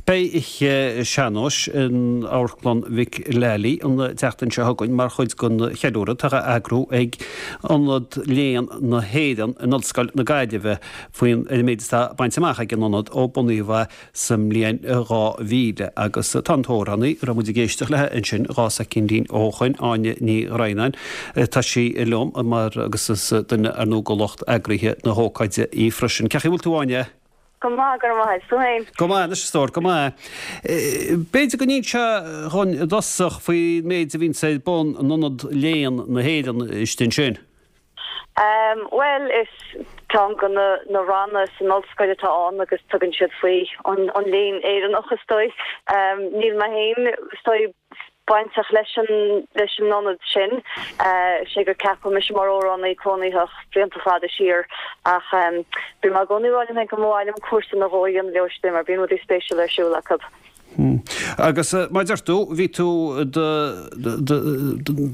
Beidh oíche sean-nóis in Amharclann Mhic Lally an tseachtain seo chugainn mar chuid den cheiliúradh atá á eagrú ag Ionad Léann na hÉireann in Ollscoil na Gaillimhe faoin ar an méid atá bainte amach ag an Ionad ó bunaíodh é sa mbliain 2000. Agus tá an t-amhránaí a raibh muid ag éisteacht léi ansin 2 soicindín ó shoin, Áine Ní Dhroighneáin, tá sí liom mar agus is duine ar ndóigh de lucht eagraithe na hócáide í freisin. Cén chaoi a bhfuil tú Áine? Go maith, go raibh maith agat. Tú féin? Go maith anois, a stór, go maith. B'fhéidir go n-inseofá dhúinn i dtosach faoin méid a bhíonns ar bun in Ionad Léann na hÉireann istigh ansin. Bhuel, is ceann de na ranna san ollscoil atá ann agus tugann siad faoi an léann Éireannach, is dóigh. Níl mé féin, is dóigh, bainteach leis an leis an ionad sin. Sé gur ceapadh mise mar amhránaí cónaitheach blianta fada siar ach bíonn mé i gcónaí ag rá liom féin go mba mhaith liom cúrsa nó dhó a dhéanamh leo istigh mar bíonn rudaí spéisiúla ar siúl acu. Agus mar a deir tú, bhí tú i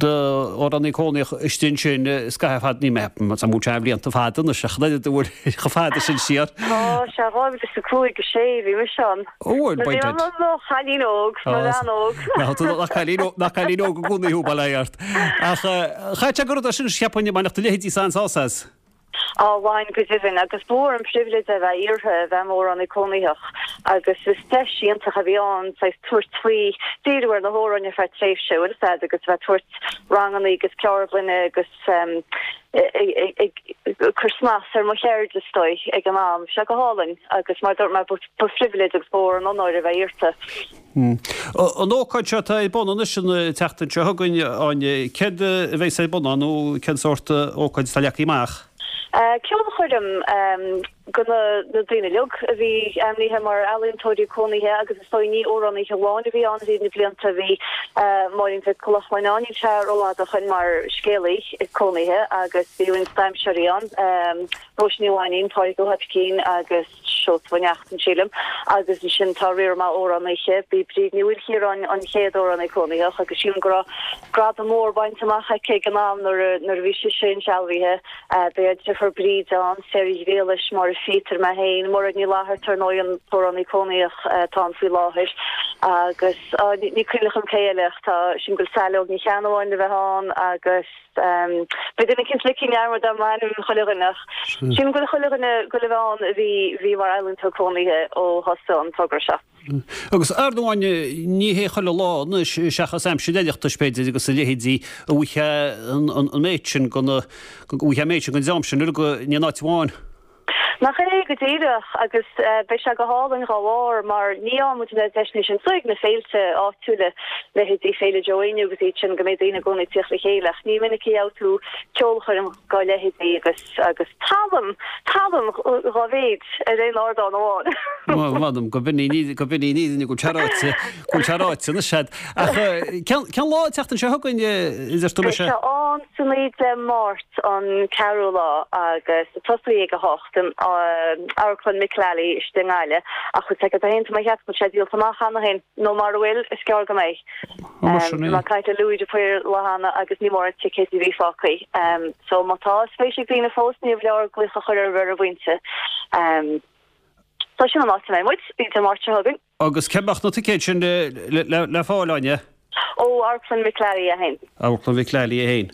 d'amhránaí cónaitheach istigh ansin scaitheamh fada, ní mé, tá mé sé blianta fada anois ach an oiread a bhfuil chomh fada sin siar. Tá sé 2005, 6 bhí mise ann. Ó, bhuel, Bhí mé i mo chailín óg, mo bhean óg. Nach cailín óg, nach cailín óg i gcónaí thú, bail ó Dhia ort. Ach chaith sé go rud é sin, cheapfainn, a mbainfeadh do leithéidí an-sásamh as. Á, bhain go deimhin, agus ba mhór an pribhléid é bheith iarrtha a bheith i m'amhránaí cónaitheach agus is deis iontach a bhí ann saghas tabhairt faoi, díriú ar na hamhráin ar feadh tréimhse, bhfuil fhios a'd, agus a bheith ag tabhairt ranganna agus ceardlainne agus ag cur snas ar mo cheird, is dóigh, ag an am. Bhí sé go hálainn agus mar a dúirt mé, ba phribhléid agus ba mhór an onóir a bheith iarrta. An ócáid seo atá ar bun anois an tseachtain seo chugainn, Áine, céard a bheas ar bun ann nó cén sórt ócáid atá leagtha amach? Ceolchoirm do na daoine uilig a bhí ainmnithe mar ealaíontóirí cónaithe agus is dóigh ní amhránaithe amháin a bhí ann thríd na blianta, bhí Máirín Mhic Lochlainn ann, níl sé rófhada ó shoin mar scéalaí cónaithe agus bhí roinnt damhsóirí ann, Róise Ní Mhainín, Pádraig Ó hOibicín agus. Seosamh Ó Neachtain, sílim, agus ansin tá riar maith amhránaithe. B'í Bríd Ní Mhaoilchiaráin an chéad amhránaí cónaitheach agus sílim go raibh gradam mór bainte amach aici ag an am nuair a nuair a bhí sise insealbhaithe. Beidh a deirfiúr Bríd ann, Sarah Ghriallais, Máire Phíotair, mé féin, Mairéad Ní Fhlatharta ar ndóigh an t-amhránaí cónaitheach atá ann faoi láthair agus ní cuimhin liom cé eile ach tá sílim go bhfuil Saileog Ní Cheannabháin le bheith ann agus Beidh duine eicínt ligthe i ndearmad agam ainm chuile dhuine ach sílim go bhfuil chuile dhuine ag goil a bheith ann a bhí bhí mar ealaíontóir cónaithe ó thosaigh an togra seo. Agus ar ndóigh ní hé chuile lá anois seachas aimsir Oireachtais b'fhéidir agus a leithéidí a bhfaighfeá an méid sin den a bhfaighfeá an méid sin den dream sin uilig in aon áit amháin. Nach é go díreach, agus beidh sé go hálainn dhá bharr mar ní fhaigheann muid na deiseanna sin is dóigh ag na féilte áitiúla, leithéidí Féile Joe Éinniú agus iad sin, go mbeidh daoine i gcónaí ag tíocht le chéile ach ní minic a gheobhaidh tú ceolchoirm dhá leithéidí agus agus tallann, tallann dhá mhéid ar aon ardán amháin. M'anam go binn í go binn í ní go bhfuil sé ráite, go bhfuil sé ráite anois a'd. Ach cén cén lá an tseachtain seo chugainn a deir tú Beidh sé ann san oíche Dé Máirt an ceathrú lá agus tosóidh ag 8 in Amharclann Mick Lally istigh i nGaillimh ach tá féin tá mé ag ceapadh go bhfuil sé díolta amach cheana féin nó mara bhfuil is gearr go mbeidh. Bhí mé ag caint le Louis de Paor lá cheana agus ní mórán ticéid a bhí fágtha. So má tá spéis ag daoine fós níorbh leor glaoch a chur ar an bpointe. So sin an áit a mbeidh muid, Dé Máirt seo chugainn. Agus cá mbeadh na ticéid sin le fáil, Áine? Ó Amharclann Mhic Lally é féin. Amharclann Mhic Lally é féin.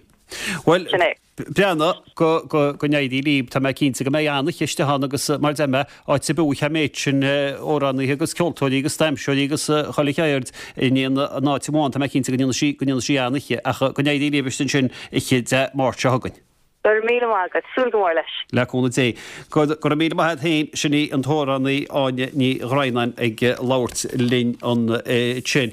Bhuel, Sin é. breathnaigh go, go, go n-éirí libh. Tá mé cinnte go mbeidh an-oíche ann agus mar a deir mé, áit ar bith a bhfaighfeá an méid sin amhránaithe agus ceoltóirí agus damhsóirí agus chuile cheird in aon áit amháin, tá mé cinnte go ndéanfaidh sí, go ndéanfaidh sí an-oíche. Ach go n-éirí libh istigh ansin oíche Dé Máirt seo chugainn. Go raibh míle maith agat. Súil go mór leis. Le cúnamh Dé. Go raibh míle maith agat féin. Sin í an t-amhránaí Áine Ní Dhroighneáin ag labhairt linn ansin.